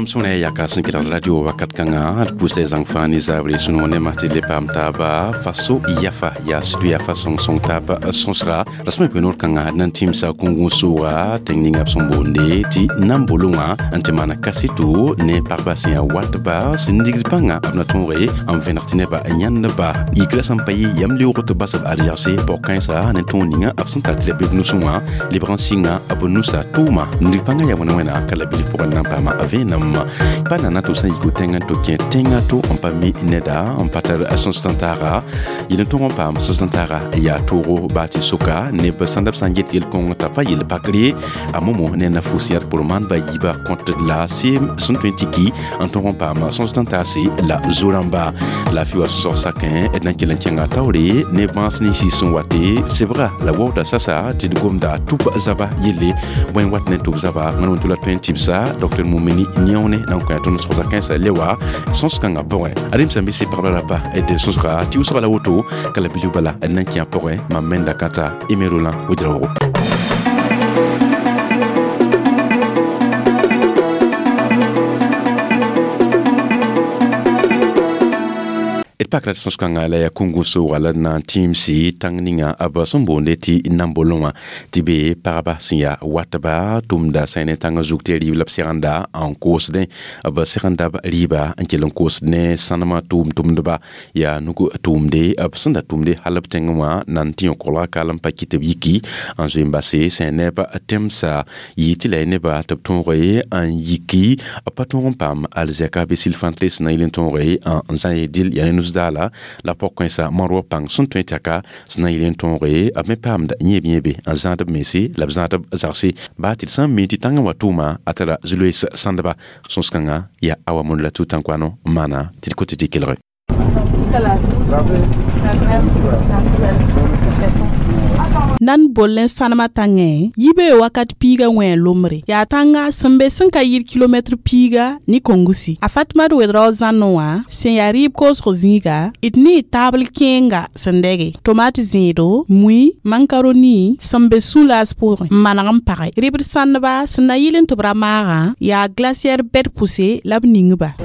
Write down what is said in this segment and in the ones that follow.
Yãmb sõna yaka sẽn kelgd radio wakat kãngã d pʋʋsa zãng fãa ne zabre sũ-noog ne tɩ le paam taaba faso yafa yaa sɩdʋ yafa sõng-sõng taab sõsga la sẽn me pʋɩ noor kãngã d na n tĩmsa kũngũ sʋʋga tẽng ninga b sẽn boonde tɩ nam-bolong wã n tɩ maana kaseto ne pagba sẽn yaa watba sẽn nigd pãnga b na tõoge n vẽneg tɩ nebã yãndba yikra sẽn pa yɩ yam leoog tɩ bas b ad-yagse pɔg-kãensa ne tõog ninga b sẽn tar tɩ la be b nusẽ wã lebg n sɩnga b nusa tʋʋma nigd pãngã yaa wẽna wẽna ka la bilf pʋgẽ na n paama vẽenem pa nana tɩ sã n yik tẽng n tɩ kẽ tẽngã to n pa mi neda n pa tar sõs-tãntaaga yel n tõg n paam sõs-tãntaaga yaa toogo baa tɩ soka neb sãnda b sã n get yel-kõng t'a pa yel pakre a momo ne na fus yãd pʋr maandba yiiba kõt la seem sẽn tõe n tɩ ki n tõg n paam sõs-tãntaase la zo-rãmba laafɩ wa sõsg sakẽ d na n kell n kẽnga taoore ne bãas ninsi sẽn wate sebga la waooda sasa tɩ d gomda tʋb zaba yelle bõe wat ne tʋb zaba wẽn wẽn tɩ la tõe n tɩbsa dr Mumini Nione na n kõ tõnd sõsga kãensã le wa sõs-kãngã pʋgẽ ad-m sẽn be sɩ pagba rapa d sõsga tɩ wʋsga la woto ka la bilf bala d na n kẽ a pʋgẽ mam menda kãta Aimé Roland Ouédraogo. D pakra tɩ sõs-kãngã la yaa kũngũ sʋʋga la d na n tĩimsi tãng ninga b sẽn boonde tɩ nam-bolong wã tɩ be pagba sẽn yaa watba tʋmda sã ne tãngã zug tɩ rɩɩb la b segenda n koosdẽ b segenda b rɩɩba n kell n koosd ne sãnemã tʋʋm-tʋmdba yaa nug tʋʋmde b sẽn da tʋmde hal b tẽngẽ wã na n tɩ yõ kolga kal n pa kɩ tɩ b yiki n zoe n base sã neb tẽmsa yɩ tɩ la y neba tɩ b tõoge n yiki b pa tõog n paam alzɛka bɩ sil-fãntre sẽn na yɩl n tõoge n zã ye dɩl yaa ne nus-daala la pɔg-kãensã moar pãng sẽn tõe tɛka sẽn na n yɩl n tõoge b me paamda yẽeb-yẽebe n zãad b mense la b zãad b zagse baa tɩ d sã n mi tɩ tãngã wa tʋʋma a tara zu-loees sãndba sõs-kãngã yaa awa mõnd la tũ-tãnkoano n maana tɩ d kot tɩ kelge. Nan boll n sãnemã tãngẽ yibe wakat piiga wẽ lombre yaa tãnga sẽn be sẽn ka yɩl kilomɛtr piiga ne kongusi a Fatmad Wedrao zãnẽ wã sẽn yaa rɩɩb koosg zĩiga d ne y taabl kẽenga sẽn dɛge tomat zẽedo mui mankaroni sẽn be sũ-laas pʋgẽ n maneg n page rɩbd sãndba sẽn na yɩl n tɩ b ra maagã yaa glaciɛr bɛd pʋse la b ning-ba.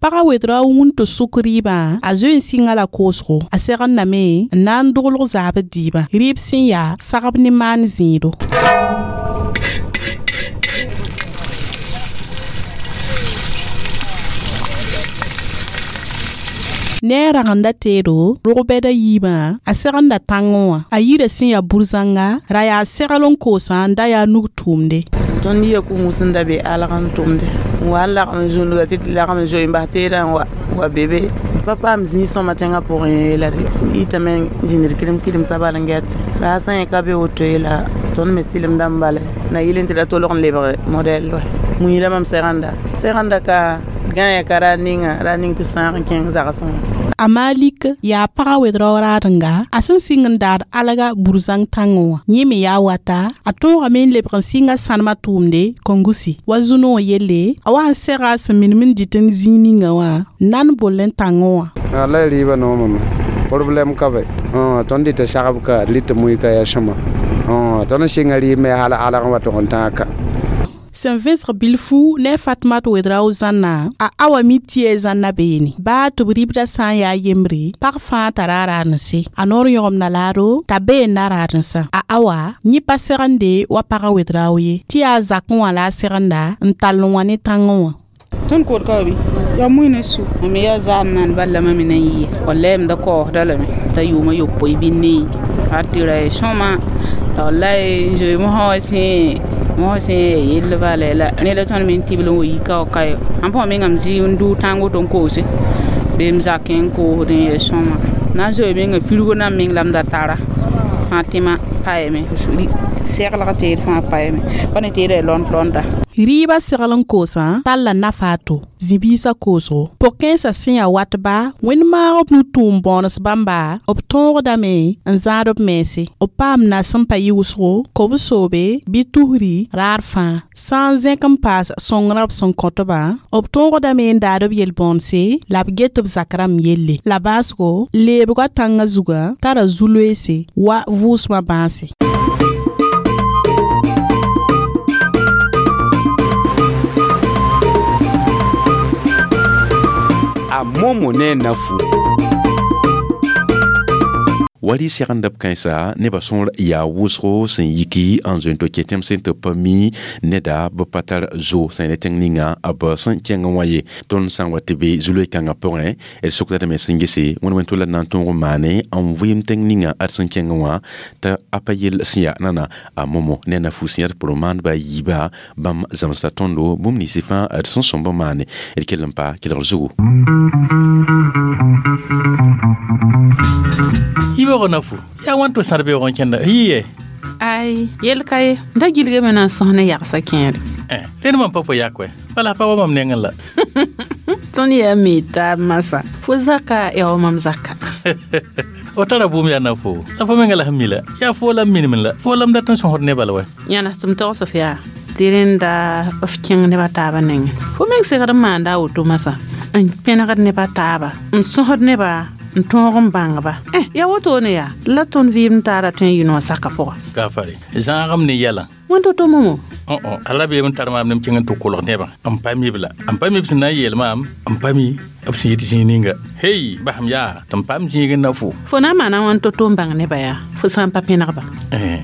Pagã Wedrao wũn tɩ sʋk rɩɩbã a zoe n sɩnga la koosgo a segendame n na n doglg zaabd dɩɩbã rɩɩb sẽn yaa sagb ne maan zẽedo. Ne a ragenda teedo rog-bɛda yiibã a segenda tãngẽ wã a yirã sẽn yaa bur-zãnga ra yaa segl n koosã n da yaa nug tʋʋmde. Tõnd yia kũngũ sẽn da be alg n tʋmde n wa n lagem zũnduga tɩ tɩ lagem zoe n bas teedã n wa wa be be pa paam zĩig sõma tẽngã pʋgẽ la d yitame n zĩnd d kɩrem-kɩremsã bal n gɛt ra sã yẽ ka be woto ye la tõnd me sɩlemdã n bale na yɩl n tɩ ra tolg n lebg modɛl wa mui la mam segenda ka gãe ka ra ninga ra ning tɩ sãag n kẽng zagsẽ wã. A Malik yaa pagã Wedrao raadenga a sẽn sɩng n daad alga bur-zãng tãngẽ wã yẽ me yaa wata a tõogame n lebg n sɩnga sãnemã tʋʋmde kongusi wa zu-noog yelle a wa n sega sẽn minim n dɩt n zĩig ninga wã nan boll n tãngẽ wã. La rɩɩbã noomame problɛm ka be tõnd dɩta sagb ka d rɩta mui ka yaa sõma tõnd n sɩnga rɩɩb me hal alg n wa tʋg n tãag ka. Sẽn vẽsg bilfu ne Fatmat Wedrao zãnna a awa mi tɩ zãnna beene baa tɩ b rɩbdã sã n yaa yembre pag fãa tara a raadẽnse a noor yõgemda laado t'a bee n na raadẽnsã a awa yẽ pa segende wa pagã Wedrao ye tɩ yaa zakẽ wã la a segenda n tall n wã ne tãngẽ wã. Tõnd kood ka wa bɩ yaa mui ne su mam yaa zaam naan bal la mam me na n yɩɩ wallahi m da kaoosda lame t'a yʋʋmã yopoe bɩ nee a tɩ ra sõma la wallahi n zoe mosã wã sẽn yell bala la rẽ la tõnd me n tɩbl n wa yika wa ka yo ãn pʋgã mengame zɩ n dʋʋ tãng woto n koose bee m zakẽ n koosd n yɛs sõma na n zoe menga firgo nan meng la m da tara fãtɩma paɛɛme Seglg teed fãa paame pa ne teeda lɔnd lɔnda. Rɩɩbã segl n koosã talla nafa a to zĩ-biisã koosgo pʋg-kãensã sẽn yaa watba wẽnd maag b nu-tʋʋm bõones bãmba b tõogdame n zãad b mense b paam na sẽn pa yɩ wʋsgo kob-soobe bɩ tusri raar fãa sã n zẽk n paas sõngrã b sẽn kõtbã b tõogdame n daad b yel-bõonse la b get b zak rãmb yelle la baasgo leebgã tãngã zugã tara zu-loeese wa vʋʋsmã bãase. A momo ne nafu. Wali segndb kãensa nebã sõor yaa wʋsgo sẽn yiki n zoe n to kẽ tẽm sẽn tɩ pa mi neda b pa tar zo sẽn ne tẽng ninga b sẽn kẽng wã ye tõnd sã n wa tɩ be zu-loe-kãngã pʋgẽ d sokdame sẽn gese wẽnd wẽn tʋ la na n tõog n maane n vɩɩm tẽng ninga ad sẽn kẽng wã t'a a pa yell sẽn yaa nana a momo ne na-fu sẽn yaa d pʋrẽ maandbã a yiiba bãmb zãmsda tõndo bũmb ninsɩ fãa d sẽn sõmb n maane d kell n pa kelgr zugu. Yibeoogã nafu yaa wãn tɩ sãd beoog n kẽnda yɩ ye Ai, yel ka ye da gilgame na n sõs ne yagsã kẽere. Rẽnd mam pa fo yak wɛ bala pa wa mam nengẽ la. Tõnd yaa mi taab masã fo zaka yaa wa mam zaka. O tara bũmb yaa na-fo la fo menga la sẽn mi la yaa fo la m minim la fo la m dat n sõsd nebã la wɛ. Yãnes tɩ m togs f yaa tɩ rẽnda f kẽng nebã taabã nengẽ fo meng segd n maanda a woto masã n pẽnegd nebã taaba n sõsd nebã n tõog n bãngba yaa wotone yaa la tõnd vɩɩm taara tõe n yɩ noog saka pʋga. Gafare zãagem ne yɛlã. Wẽnd to-to momo. Ala beem n tar maam nem kẽng n tɩ kolg nebã n pa mib la n pa mib sẽn na n yeel maam n pa mi b sẽn yit zĩig ninga hey basem yaa tɩ m paam zĩig n na fo. Fo na n maana wãn to-to n bãng nebã yaa fo sã n pa pẽnegba.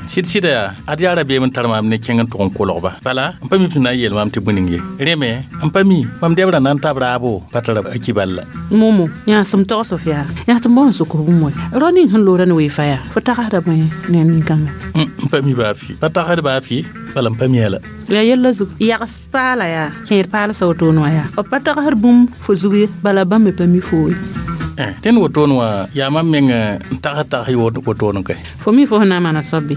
Sɩd sɩda yaa ad yaa rabeem n tar maam ne kẽng n tʋg n kolgba bala n pa mi b sẽn na n yeel maam tɩ bõe ning ye rẽ me n pa mi mam dɛbrã na n tab raabo pa tara a kibal la. Momo yãa sẽm togs f yaa yãa tɩ m bao n sʋk bũmb wɛ rao ning sẽn loora ne weefa yaa fo tagsda bõe ne nin-kãnga. N pa mi baa fɩ pa tagsd baa fɩ bala n pa mi la. Yaa yella zug yags paala yaa kẽed paalsã wotone wã yaa b pa tagsd bũmb fo zug ye bala bãmb me pa mi foo ye. Tẽnd wotone wã yaa mam meng n tags tags wotone kɛ. Fo mi fo sẽn na n maana soab bɩ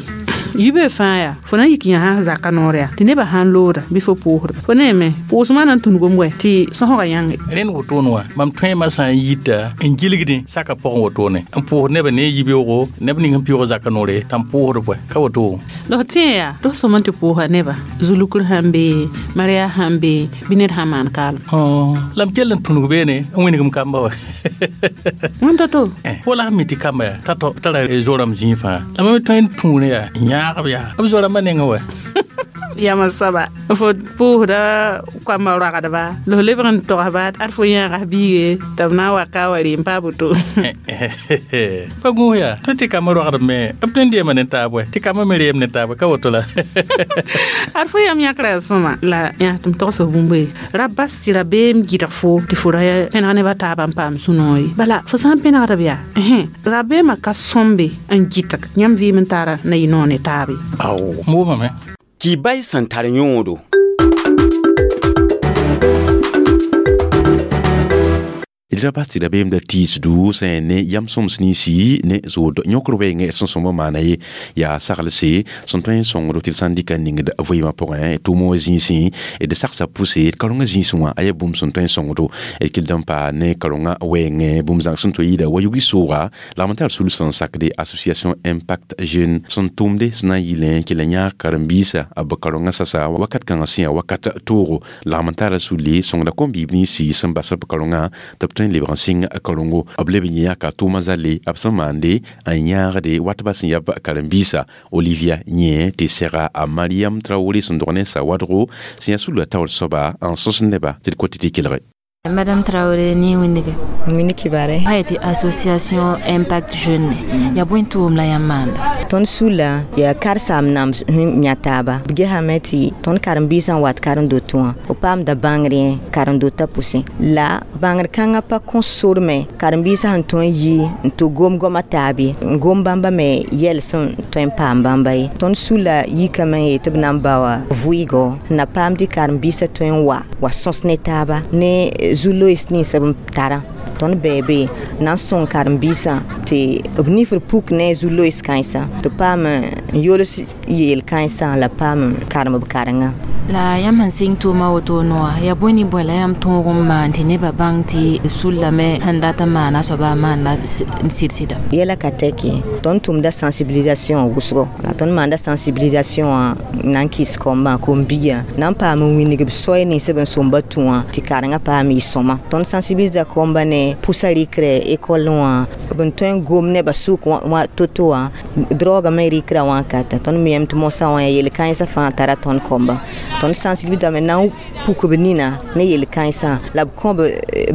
yibe fãa yaa fo na n yik yã sã zaka noor yaa tɩ nebã sã n looda bɩ fo pʋʋsda fo neeme pʋʋsmã na n tũnugem wɛ tɩ sõsgã yãnge. Rẽnd wotone wã mam tõema sã n yita n gilgdẽ saka pʋgẽ wotone n pʋʋsd nebã ne yibeoogo neb ning sẽn pɩʋʋg zaka noore t'a n pʋʋsd bʋɛ ka woto. La f tẽ yaa tɩ f sõm n tɩ pʋʋsa nebã zulukr sãn be maria sãn be bɩ ned sã n maan kaalem. La m kell n tũnug beene n wĩnigm kamba wɛ. Wẽnd to-to. Fo la sẽn mi tɩ kamba yaa t'a tara zorame zĩig fãa la mam tõe n tũune yaa n yãagb yaa b zorãmbã nengẽ wɛ. Yãmb soaba fo pʋʋsda koambã roagdba la f lebg n togsba ad fo yãaga biige tɩ b na n wa ka wa rɩ n paa boto. Pa gũus yaa tõe tɩ kambã roagdb me b tõe n deema ne taab wɛ tɩ kambã me reem ne taab ka woto la. Ad fo yam yãkra yaa sõma la yã tɩ m togs f bũmb ye ra bas tɩ rabeem gɩdg fo tɩ fo ra pẽneg nebã taabã n paam sũ-noog ye bala fo sã n pẽnegda b yaa rabeemã ka sõmbe n gɩtg yãmb vɩɩm n taara na yɩ noog ne taab ye. Ao m wʋmame. Kibay sẽn tar yõodo. D ra bas tɩ rabeem da tiisdu sẽn ne yam sõms ninsi ne zood yõkr wɛɛngẽ sẽn sõm n maana ye yaa saglse sẽn tõe n sõngdo tɩ d sã n dɩka n ningd vɩɩmã pʋgẽ tʋʋm wã zĩisẽ d sagsa pʋse d karongã zĩisẽ wã a yaa bũmb sẽn tõe n sõngdo d kell n paa ne karongã wɛɛngẽ bũmb zãng sẽn tõe yɩɩda wa yugi sooga lagm n tar sul sẽn sakde association Impact Jeune sẽn tʋʋmde sẽn na n yɩlẽ kell n yãag karen-biisã b karongã sasa wakat kãngã sẽn yaa wakat toogo lagm n tara sulle sõngda kom-biib ninsi sẽn bas b karongã tɩ b tõe n lebg n sɩng karongo b leb n yãka tʋʋmã zale b sẽn maande n yãagde watbã sẽn yaa karen-biisã Olivia yẽ tɩ sɛga a Mariam Traoré sẽn dog ne sawadgo sẽn yaa sulã taoor soaba n sõs neba tɩ d kot tɩ kelge. Madame Traoré ni wĩndige. Wĩnni kibare. Pa tɩ association Impact Jeune yaa bõe tʋʋm la yãmb maanda? Tõnd sula yaa karsaam nam yã taaba b gesame tɩ tõnd karen-biisã n wat karen-doto wã b paamda bãngr karen-dotã pʋsẽ la bãngr kãngã pa kõ sor me karen-biisã sẽn tõe n yi n tɩ gom goamã taab ye n gom bãmba me yɛl sẽn tõe n paam bãmba ye tõnd sula yikame n yeel tɩ b na n baoa vʋɩɩgo na paam tɩ karen-biisã tõe n wa sõs ne taaba ne zu-loees nins b tara tõnd bɛɛ na n sõng karen-biisã tɩ b nifr puk ne zu-loees kãensã tɩ paam n yols yeel kãensã la paam n karem b karenga. La yãmb sẽn sɩng tʋʋma woto noa yaa bõe ne bõe la yãmb tõog n maan tɩ nebã bãng tɩ sullame sẽn dat n maana soaba a maanda sɩd-sɩda? Yɛla ka tɛke tõnd tʋmda sensibilisation wʋsgo la tõnd maanda sensibilisation wã na n kɩs kɔmbã kom-biigã na n paam n wilg b soay nins b n sõmba tũ wã tɩ karengã paam yɩ sõma. Tõnd sensibilisa kɔmbã ne pʋsa rɩkrɛ ekɔl wã b n tõe n gom nebã sʋk wã to-to wã droogã me rɩkrã wãkata tõnd miyame tɩ mosã wã yaa yel-kãensã fãa tara tõnd kɔmbã. Tõnd sensibilisame na n puk b nina ne yel-kãensã la b kõ b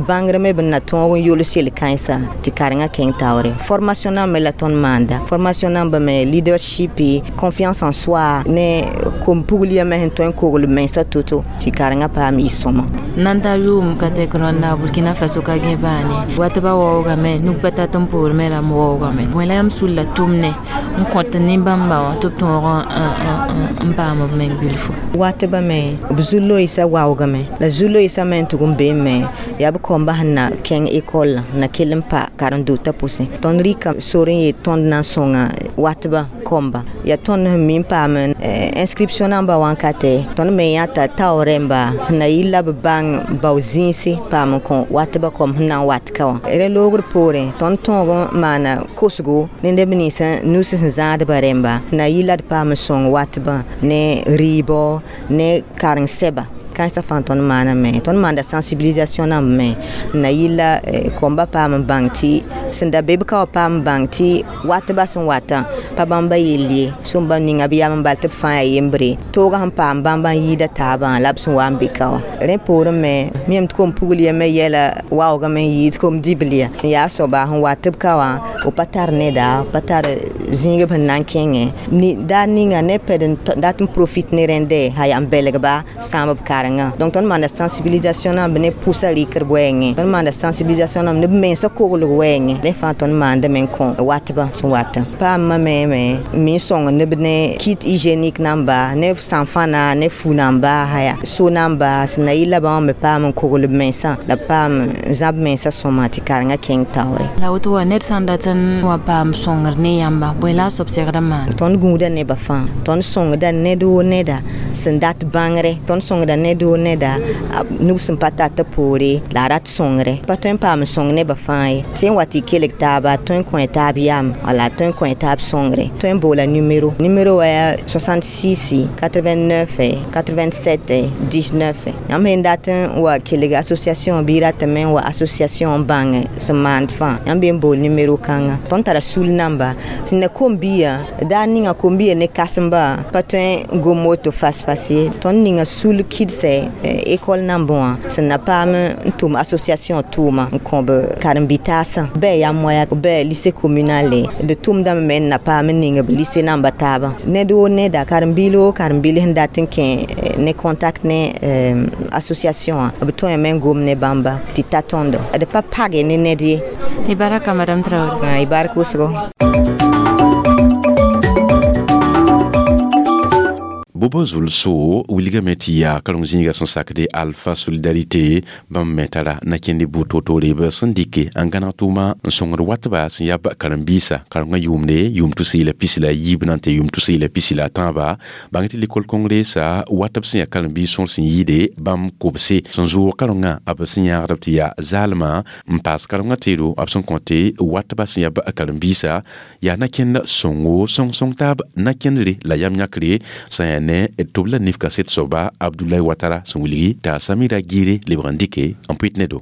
bãngr me b na tõog n yols yel-kãensã tɩ karengã kẽng taoore. Formation nambã la tõnd maanda formation nambã me leadership, confiance en soi ne kom-pugl yame sẽn tõe n kogl b mensã to-to tɩ karengã paam yɩ sõma. Nan ta yʋʋm ka tɛk rãnda Burkina Faso ka gẽ baane wat ba waoogame nuk pa tat n poor me rãmb waoogame bõe la yãmb sulla tʋmne n kõt nin-bãmba wã tɩ b tõog n paam b meng bilfu? Watba me b zu-loeesã waoogame la zu-loeesã me n tʋg n beem me yaa b kɔmbã sẽn na kẽng ekɔl na kell n pa karen-dotã pʋsẽ. Tõnd rɩka sor n yet tõnd na n sõnga watbã kɔmba yaa tõnd sẽn mi n paam inscription namba wãnkatɛ tõnd me yãta tao rẽmba sẽn na yɩ la b bãng bao zĩisi paam n kõ watbã kɔm sẽn na n wat ka wã. Rẽ loogr poorẽ tõnd tõog n maana kosgo ne neb nins nus sẽn zãadbã rẽmba na yɩ la d paam n sõng watbã ne rɩɩbɔ ne karen-sɛba kãensã fãa tõnd maaname. Tõnd maanda sensibilisation namba me na yɩ la kɔmbã paam n bãng tɩ sẽn da be b ka wã paam n bãng tɩ watbã sẽn watã pa bãmba yell ye sũmba ninga b yam n bal tɩ b fãa yaa yembre toogã sẽn paam bãmba n yɩɩda taabã la b sẽn wa n be ka wã. Rẽ poorẽ me miyame tɩ kom-pugl yame yɛla waoogame n yɩɩd kom-dibl ya sẽn yaa soaba sẽn wat b ka wã b pa tar neda b pa tar zĩig b sẽn na n kẽngẽ daar ninga ne pɛd n dat n profit ne rẽndɛ sã yaa n belgba sãam b karengã. Donc tõnd maanda sensibilisation namba ne pʋsa rɩkr wɛɛngẽ tõnd maanda sensibilisation namba ne b mensã koglg wɛɛngẽ rẽ fãa tõnd maandame n kõ watbã sẽn watã. Paamã me mi n sõng neb ne kit hygiénique namba ne sãnfãna ne fu namba haya so namba sẽn na yɩ la bãmb me paam n kogl b mensã la paam n zãb mensã sõma tɩ karengã kẽng taoore. La woto wã ned sã n dat n wa paam sõngr ne yãmba bõe la a soab segd n maana? Tõnd gũuda nebã fãa tõnd sõngda ned woo neda sẽn dat bãngre tõnd sõngda ned woo neda nug sẽn pa tat poore la a rat sõngre pa tõe n paam n sõng nebã fãa ye tɩ n wa tɩ kelg taaba tõe n kõ taab yam wala tõe n kõ taab sõngre tõe n boola numero numero wã yaa 66 89 87 19. Yãmb sẽn dat n wa kelg association bɩ ratame n wa association n bãng sẽn maand fãa yãmb be n bool numero kãnga. Tõnd tara sul namba sẽn na kom-biigã daar ninga kom-biigã ne kãsemba pa tõe n gom woto fas-fas ye tõnd ninga sul kɩdsɛ ekɔl nambã wã sẽn na paam n tʋm association tʋʋma n kõ b karen-bi-taasã bɩ yam waya bɩ lycée communal d tʋmdame me n na paam n ning b lycée namba taabã ned woo neda karen-biil woo karen-biil sẽn dat n kẽ ne contact ne association wã b tõeme n gom ne bãmba tɩ ta tõndo d pa page ne ned ye. Y baraka madame Traoré. Y barka wʋsgo. Bobo zulso wilgame tɩ yaa kareng zĩiga sẽn sakde Alpha Solidarité bãmb me tara na kẽnd bʋ-to-toore b sẽn dɩke n gãneg tʋʋma n sõngd watba sẽn yaa karen-biisã karengã yʋʋmde yʋʋm 2023 na n tɩ yʋʋm 2023 bãng tɩ lekol kongresa watb sẽn yaa karen-biis sõor sẽn yɩɩde bãmb kobse sẽn zoog karengã b sẽn yãagdb tɩ yaa zaalmã n paas karengã teedo b sẽn kõte watba sẽn yaa karen-biisã yaa na kẽnd sõngo sõng-sõng taab na kẽndre la yam yãkre sã yaa ne tɩ b la nif kaset soaba Abdoulaye Ouattara sẽn wilgi t'a Samira Gire lebg n dɩke n pʋɩt ne do.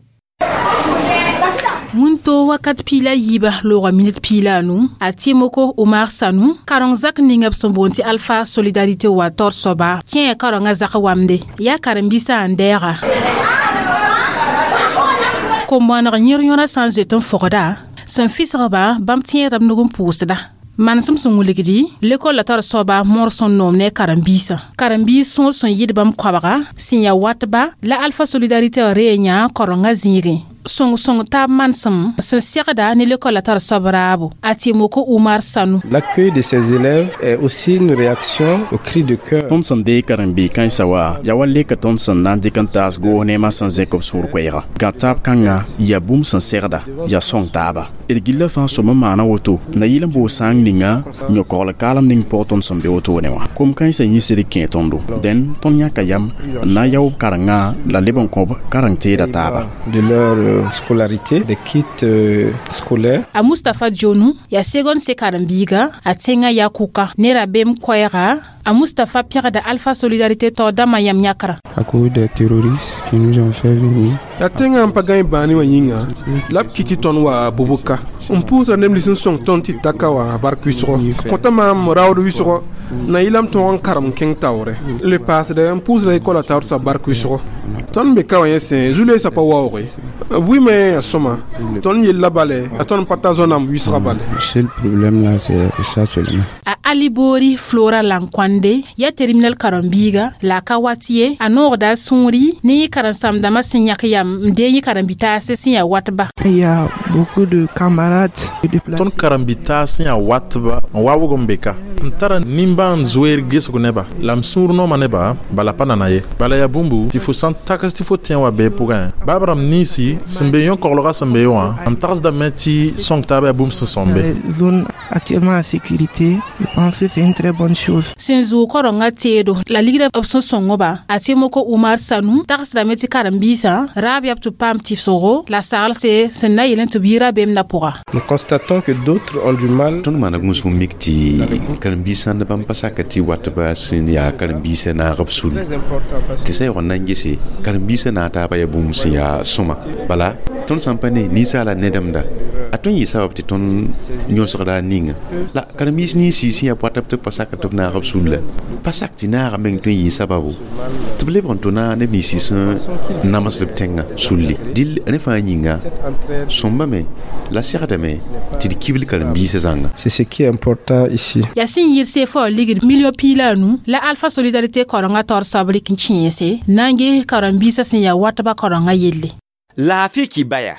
Wĩnto wakat piila yiiba loogã minit piila anu a Tiémoko Omar Sanu kareng zak ninga b sẽn boond tɩ Alpha Solidarité wa taoor soaba kẽe karengã zak wamde yaa karen-biisã n dɛɛga kom-bõaneg yẽr yõra sã n zoet n fogda sẽn fisgba bãmb tẽedb nug n pʋʋsda manesem sẽn wilgdi lekol la tar soaba mõor sẽn noom ne karen-biisã karen-biis sõor sẽn yɩd bãmb koabga sẽn yaa watba la Alpha Solidarité ree yã karengã zĩigẽ Sõng-sõng taab manesem sẽn segda ne lekola tar soab raabo. A Tɩmoko Umar Sanu. L'accueil de ces élèves est aussi une réaction au cri de cœur. Tõnd sẽn deeg karen-biig kãensã wa yaa wa leka tõnd sẽn na n dɩk n taas goos neemã sẽn zẽk b sũur koɛɛga. Gã taab kãngã yaa bũmb sẽn segda, yaa sõng taaba. D gilla fãa sõm n maana woto na yɩl n boos sãang ninga yõ-kogl kaalem ning pʋgẽ tõnd sẽn be wotone wã. Kom kãensã yĩsd kẽ tõndo. Dẽn tõnd yãka yam n na n yao b karengã la leb n kõ b kareng-teeda taaba. De leur scolarité, des kits scolaires. A Mustapha Djonu yaa seconde C karen-biiga a tẽngã yaa kʋka ne rabeem koɛɛga. A Mustapha pẽgda Alpha Solidarité tao dãmbã yãmb yãkra. À cause des terroristes qui nous ont fait venir. Yaa tẽngã n pa gãe bãani wã yĩnga la b kɩ tɩ tõnd wa bobka n pʋʋsra neb nins n sõng tõnd tɩ d ta ka wã bark wɩsgo kõta maam raood wɩsgo na yɩla m tõog n karem n kẽng taoore le paasdɛ n pʋʋsra école taoor soab bark wɩsgo tõnd be ka wã yẽ sẽ zu-loeesã pa waooge vɩɩmẽ yaa sõma tõnd yella bale a tõnd pa ta zoa-namb wɩsga bale. Le seul problème là, c'est ça seulement. A Ali Bori Flora Lankwande yaa terminal karen-biiga la a ka wat ye a noogda a sũuri ne yẽ karen-sãmdãmã sẽn yãk yam n deeg yẽ karen-bi-taase sẽn yaa watba. Il y a beaucoup de camarades. Tõnd karen-bi-taas sẽn yaa watba n waoog n be ka n tara nimbãan zoeer gesg neba la m sũur nooma neba bala pa nana ye bala yaa bũmbu tɩ fo sã n tags tɩ fo tẽ wa bee pʋgẽ baab rãmb ninsi sẽn be yõ-koglgã sẽn be wã n tagsdame tɩ sõng taaba yaa bũmb sẽn sõmbe. Zone actuellement en sécurité, je pense que c'est une très bonne chose. Sẽn zʋʋg karengã teedo la ligra b sẽn sõng-ba. A Tɩmoko Umar Sanu tagsdame tɩ karen-biisã raab yaa b tɩ paam tɩbsgo la saglse sẽn na yel tɩ b yɩ rabeem na pʋga. Nous constatons que d'autres ont du mal. Tõnd maana gũusg n mik tɩ karen-biisã ne bãmb pa saka tɩ watba sẽn yaa karen-biisã naag b sul tɩ sã yaool n na n gese karen-biisã naag taaba yaa bũmb sẽn yaa sõma bala tõnd sã n pa ne ninsaala nedemda a tõnd yɩ sabab tɩ tõnd yõsgda a ninga la karen-biis ninsi sẽn yaa poatb tɩ b pa sak tɩ b naag b sulla pa sak tɩ naaga meng tõe n yɩ sababu tɩ b lebg n tʋ na neb ninsi sẽn namsd b tẽngã sulli dɩl rẽ fãa yĩnga sõmbame la segdame tɩ d kibl karen-biisã zãnga. C'est ce qui est important ici. Yaa sẽn yɩ CFA ligd million 15 la Alpha Solidarité karengã taoor soab rɩk n kẽese na n ges karen-biisã sẽn yaa watba karengã yelle. Laafɩ kibaya.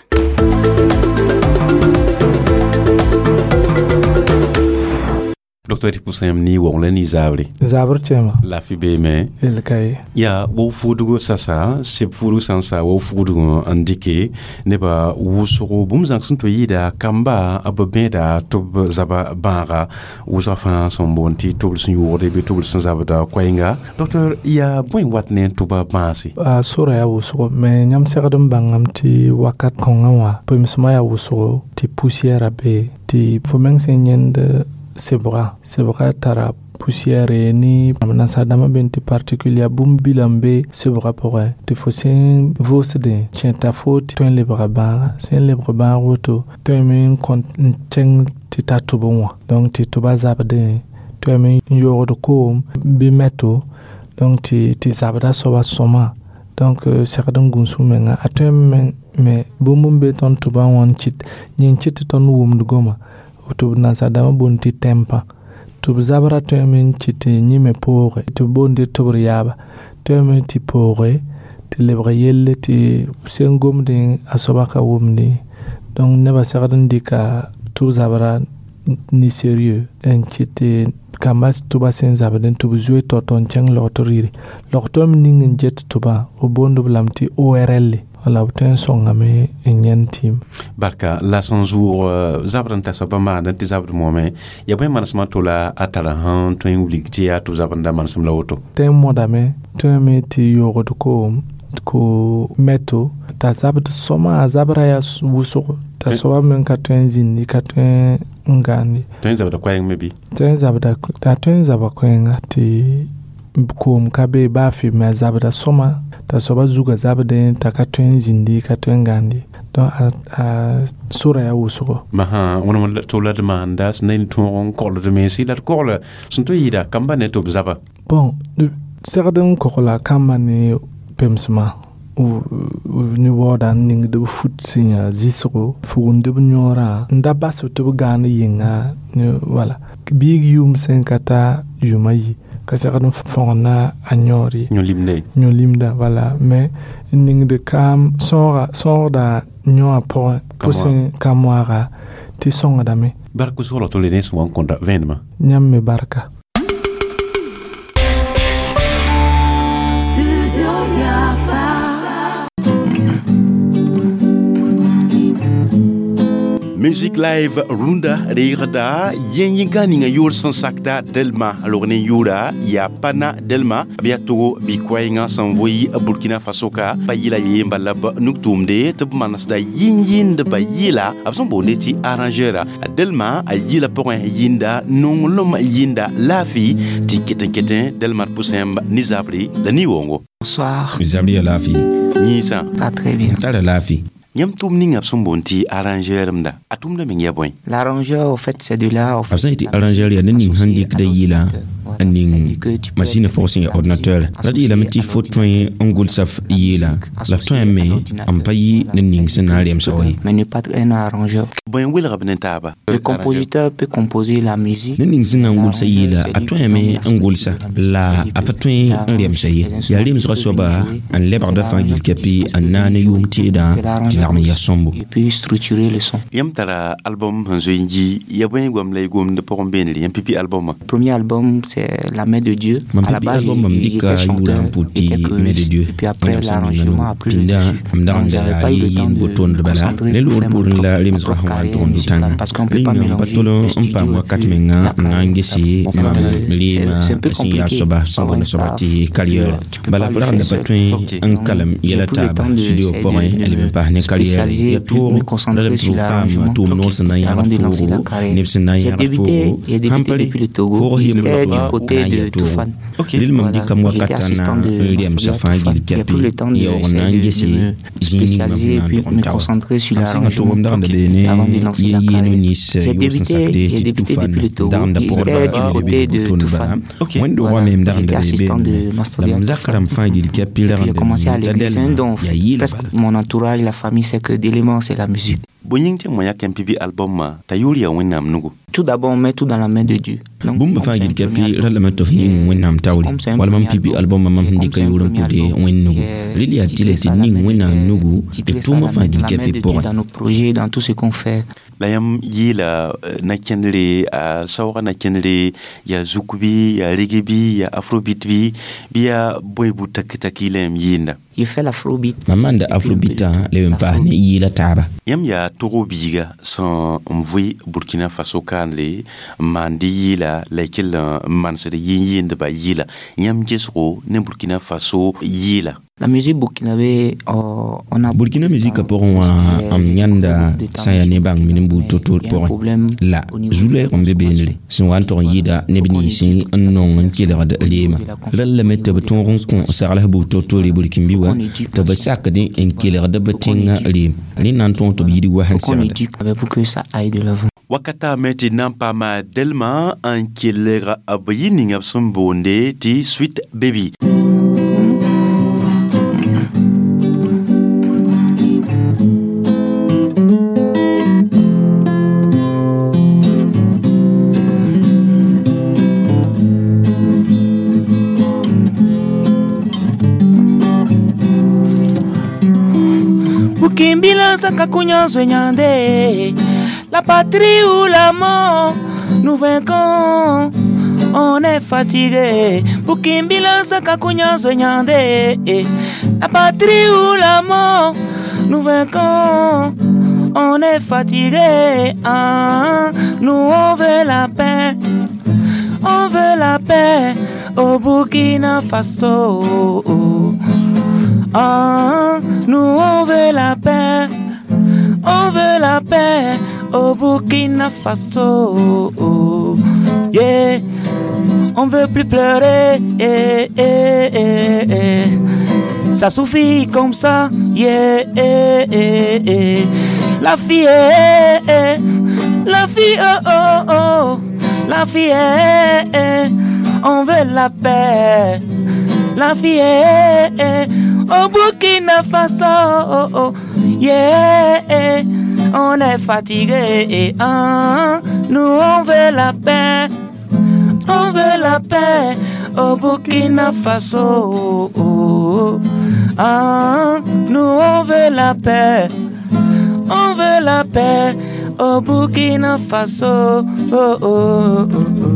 Docteur tɩ pʋsã yãmb ne waoong la ne zaabre. Zabr tẽema. Laafɩ beeme. Yel ka ye. Yaa wa fuudgo sasa seb fuudg sã n sa wa fuudg n dɩke nebã wʋsgo bũmb zãng sẽn tɩ yɩɩda kamba b bẽeda tɩ b zaba bãaga wʋsga fãa sẽn boond tɩ tʋbl sẽn yoogde bɩ tʋbl sẽn zabda koɛɛnga. Docteur, yaa bõe wat ne n tʋba bãase? A sora yaa wʋsgo mais yãmb segd n bãngame tɩ wakat kõngã wã pemsmã yaa wʋsgo tɩ poussière be tɩ fo meng sẽn yẽnd sebga sebga tara poussière ni nasaadãmbã be tɩ particule yaa bũmb bila n be sebgã pʋgẽ tɩ fo sẽn vʋʋsdẽ kẽta fo tɩ tõe n lebga bãaga sẽn lebg bãag woto tõeme n kõt n kẽng tɩ ta tʋbẽ wã donc tɩ tʋba zabdẽ tõeme n yoogd koom bɩ mɛto donc tɩ zabda soaba sõma donc segd n gũus menga a tõe me bũmb n be tõnd tʋbã wã n kɩt yẽ n kɩt tɩ tõnd wʋmd goma tɩ b nasaadãmbã boond tɩ tympan tɩ b zabra tõeme n kɩt tɩ yẽme pooge tɩ b boond tɩ tʋbr yaaba tõeme tɩ pooge tɩ lebg yelle tɩ sẽn gomdẽ a soaba ka wʋmdẽ donc nebã segd n dɩka tʋb zabra ne sérieux n kɩt tɩ kamba tʋba sẽn zabdẽ tɩ b zoe tao-tao n kẽng logtr yire logtɔ me ning n get tʋbã b boond b lame tɩ ORL wala b tõe n sõngame n yãnd tɩɩm. Barka la sẽn zʋʋg zabr n ta soabã maand tɩ zabd moame yaa bõe manesmã to la a tara sẽn tõe n wilg tɩ yaa tʋ zabr n da manesem la woto. Tẽ n modame tõeme tɩ yoogd koom ko mɛto t'a zabd sõma a zabra yaa wʋsgo t'a soaba meng ka tõe n zĩndi ka tõe n gãande. Tõe n zabda koɛɛng me bɩ? Tõe n zabda t'a tõe n zaba koɛɛnga tɩ koom ka be baa fɩ me a zabda sõma t'a soaba zuga zabdẽ t'a ka tõe n zĩndi ka tõe n gãande donc a sora yaa wʋsgo. Masã wẽnem tɩ la d maanda sẽn na n tõog n kogld mense la d kogla sẽn tɩ yɩɩda kamba ne tɩ b zaba. Bon, segd n kogla kamba ne pemsmã ne waooda n ningd b fut sẽn yaa zɩsgo fugund b yõorã n da bas tɩ b gãan yɩnga wala biig yʋʋm sẽn ka ta yʋʋm ayi ka segd n fõgna a yõor ye. Yõ-limda. Yõ-limda wala mais n ningd kaam sõoga sõogda yõwã pʋgẽ pʋsẽ ka moaga tɩ sõngdame. Bark wʋsg la tole ne sẽn wa n kõta vẽenemã. Yãmb me barka. Music Live rũndã reegda yẽn-yĩnga ninga yʋʋr sẽn sakda Delma log ne yʋʋra yaa Pana Delma b yaa Togo bɩ-koɛɛngã sẽn voɩ Burkina Faso ka pa yɩla yeemba la b nug-tʋʋmde tɩ b manesda yĩn-yĩndba yɩla b sẽn boonde tɩ arrangeur. Delma a yɩla pʋgẽ yĩnda nonglem yĩnda laafɩ tɩ ket n ketẽ Delma d pʋsẽmb ne zabre la ne-woongo. Bonsoir. Zabri ya lafi. Yĩnsã. Pas très bien. Tara lafi. Yãmb tʋʋm ninga b sẽn boond tɩ arrangeur mda a tʋʋmda meng yaa bõe? L'arrangeur, au fait, c'est de là. B sã n yetɩ arrangeur yaa ned ning sẽn dɩkda yɩla n ning masĩnã pʋgẽ sẽn yaa ordinateur la d yeelame tɩ fo tõe n gʋlsa f yɩɩla la f tõeme n pa yɩ ned ning sẽn na n remsg ye. Mais ne pas un arrangeur. Bõe n welg b ne taaba? Le compositeur peut composer la musique. Ned ning sẽn na n gʋlsa yɩɩla a tõeme n gʋlsa la a pa tõe n remsa ye. Yaa remsgã soaba n lebgda fãa gill kɛpɩ n naag ne yʋʋm teedã tɩ lagm n yaa sõmbo. Et puis structurer le son. Yãmb tara album sẽn zoe n yi ya bõe goam la y gomd pʋgẽ beenre yãmb pipi albumã? Premier album, c'est La main de Dieu. Mam À la pipi base, album mam il dɩka était yʋʋrã n chanteur, pʋt tɩ était main de Dieu. Et puis après, Wẽnnaam sẽn ninga l'arrangement a nugu pris le pĩndã dessus. m dag n Donc, da j'avais yaa pas eu le temps yɩɩn de bo-tondr me bala concentrer ne pour loogr faire ma poorẽ la propre remsgã sẽn wa n carrière tʋg n do musicale tãnga parce qu'on peut rẽ pas yĩnga m pa mélanger tol le n paam studio et wakat puis menga la n na n carrière. gese Bon, mam reema c'est un peu sẽn yaa compliqué. soaba sẽn Avoir boond une soaba staff, tɩ carrière tu peux bala pas f le rag n da faire pa seul. tõe n Donc, kalem j'ai yɛla pris le taaba temps de studio essayer pʋgẽ de a leb me n paas ne carrière spécialiser ya et puis toog me la concentrer leb tɩ sur b paam l'arrangement tʋʋm noor sẽn na n avant yãgd de lancer la foogo carrière. neb sẽn na n J'ai yãgd débuté, foogo j'ai sãn débuté pa re depuis le Togo. foog yem J'étais du la côté na n de yaa toog Toufan. rel mam Voilà, dɩkam j'étais wakata na assistant de n remsa Master fãa Toufan. gill J'ai pris kɛpɩ le temps de yaoog na essayer n de gese me zĩig ning mam spécialiser sẽn et na n puis tog n me taoa concentrer sur mam sẽnga l'arrangement tʋgem dag n da bee ne avant de lancer la yɩ yɩɩn carrière. nins J'ai yʋʋr sẽn débuté, sakde j'ai tɩ débuté tufan depuis le Togo. dag n da J'étais pʋgdba du leb côté n de tʋndba Toufan. wẽnd-doogã Voilà, me m dag n j'étais da bee assistant beene de la Master m zak rãmb fãa gill kɛpɩ Et rag puis n j'ai da commencé à t'a l'église. C'est un Delma don. yaa yɩɩla Presque bala. mon entourage, la famille, c'est que d'éléments, c'est la musique. Bõe yĩng tɩ moã yãk pipi albumã t'a yʋʋr yaa Wẽnnaam nugu? Tout d'abord, on met tout dans la main de Dieu. Donc, bũmb comme fãa c'est un gill premier kɛpɩ ra lame tɩ f ning Wẽnnaam taoore Comme c'est un wala mam premier pipi albumã mam sẽn comme dɩka c'est un yʋʋr n premier pʋde album Wẽnd nugu qui est rel yaa tɩ la titré tɩ ça, la ning main de Wẽnnaam Dieu, nugu tɩ titré ça, tʋʋmã la fãa main, gill la main kɛpɩ de Dieu pʋgẽ. dans nos projets, dans tout ce qu'on fait. La yãmb yɩɩla na-kẽndre a saoogã na-kẽndre yaa zuk bɩ yaa rege bɩ yaa afrobeat bɩ bɩ yaa bõe bu taki-taki la yãmb yɩɩnda? Je fais l'afrobeat. Mam maanda afrobitã leb n paas ne yɩɩla taaba. Yãmb yaa Togo biiga sẽn n vʋɩ Burkina Faso kaanle n maand yɩɩla la y kell n manesd yĩn-yɩɩndbã yɩɩla yãmb gesgo ne Burkina Faso yɩɩla? La musique burkinabé, on a Burkina musika pʋgẽ wã m yãnda sã n yaa ne bãng min n buud to-to pʋgẽ la zu-lɛɛg n be beenre sẽn wa n tʋg n yɩɩda neb ninsẽ n nong n kelgd reema rel lame tɩ b tõog n kõ sagls buud to-tore Burkimbi wã tɩ b sakd n kelgd b tẽngã reem rẽ na n tõog tɩ b yid wa sẽn qu'on segda. éduque pour que ça aille de l'avant. Wakata me tɩ na n paama Delma n kelg b yɩ ninga b sẽn boonde tɩ Sweet Baby. Bukimbila sakakunyazwe nyande. La patrie ou la mort, nous vaincons. On est fatigué. Bukimbila sakakunyazwe nyande. La patrie ou la mort, nous vaincons. On est fatigué. Ah, nous on veut la paix. On veut la paix au Burkina Faso. Ah, nous on veut la paix, on veut la paix au Burkina Faso. Yeah, on veut plus pleurer. Eh, eh, eh, eh. Ça suffit comme ça. Yeah, eh, eh, eh. La fille, eh, eh. La fille, oh, oh, oh. La fille, eh, eh. On veut la paix. La fille, eh, eh. Au Burkina Faso, oh, oh. Yeah, eh. On est fatigué, eh, ah. Nous on veut la paix, on veut la paix au Burkina Faso. Oh, oh. Ah, nous on veut la paix, La paix au Burkina Faso. Oh, oh, oh, oh.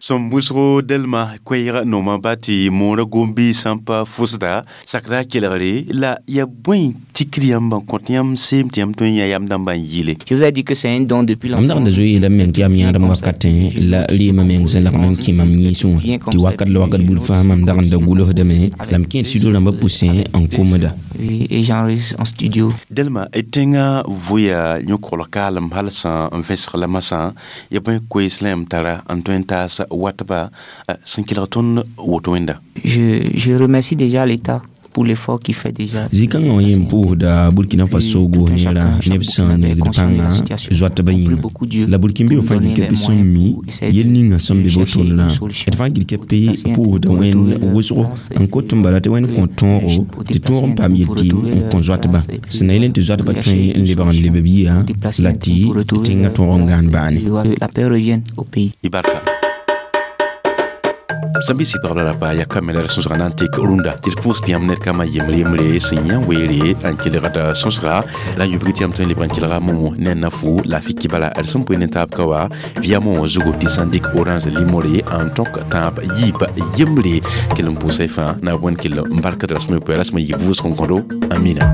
Sẽn wʋsgo dɛlma koɛɛg nooma ba tɩ moorã gom-biis sãn pa fʋsda sakra kelgre la ya bõe tikr yãmb n kõt yãmb seem tɩ yãmb tõe n yã yam dãmbã n yɩle. Je vous ai dit que c'est un don depuis Mam dag n da zoe yeelame meng tɩ yaa m yãadem wakatẽ la rɩɩmã meng sẽn lagm n kẽ mam yĩnsẽ wã tɩ wakat la wakat buud fãa mam dag n da gʋlsdame la m kẽed studio rãmbã pʋsẽ n komda. Et j'enregistre en studio. Dɛlma tẽngã vʋya yõ-kogl kaalem hal sã n vẽsg la masã ya bõe koees la yãmb tara n tõe n taas watba sẽn kelg tõnd woto wẽnda. Je remercie déjà l'État pour l'effort qu'il fait déjà. Zĩ-kãngã wã yẽ n pʋʋsda Burkina Faso goos neerã neb sẽn nesgd pãnga zoatbã yĩnga la Burkinbe fãa gilkɛpɩ sẽn mi yel ninga sẽn be wotondrã d fãa gilkɛpɩ pʋʋsda wẽnd wʋsgo n kot n bala tɩ wẽnd kõ tõogo tɩ tõog n paam yel-tɩɩm n kõ zoatba sẽn na yel tɩ zoatbã tõe n lebg n leb b yia la tɩ tẽngã tõog n gãan baane. La paix revienne au pays. Y barka. Sẽn bɩ sɩd la pa ya kamera la sõsga na n tek rũndã tɩ d pʋʋs tɩ yãmb ned kama yembre yembre sẽn yã weere n kelgd sõsga la n yubg tɩ yãmb tõe n lebg n kelga momo ne na fu la fiki bala d sẽn poe ne taab ka wa via mo zugu tɩ sãn dɩk orange limore n tõk tãab yiib yembre kell n pʋʋsa y fãa na wẽnd kell n barkd rasme poe rasme yib vʋʋsg n kõdo amina.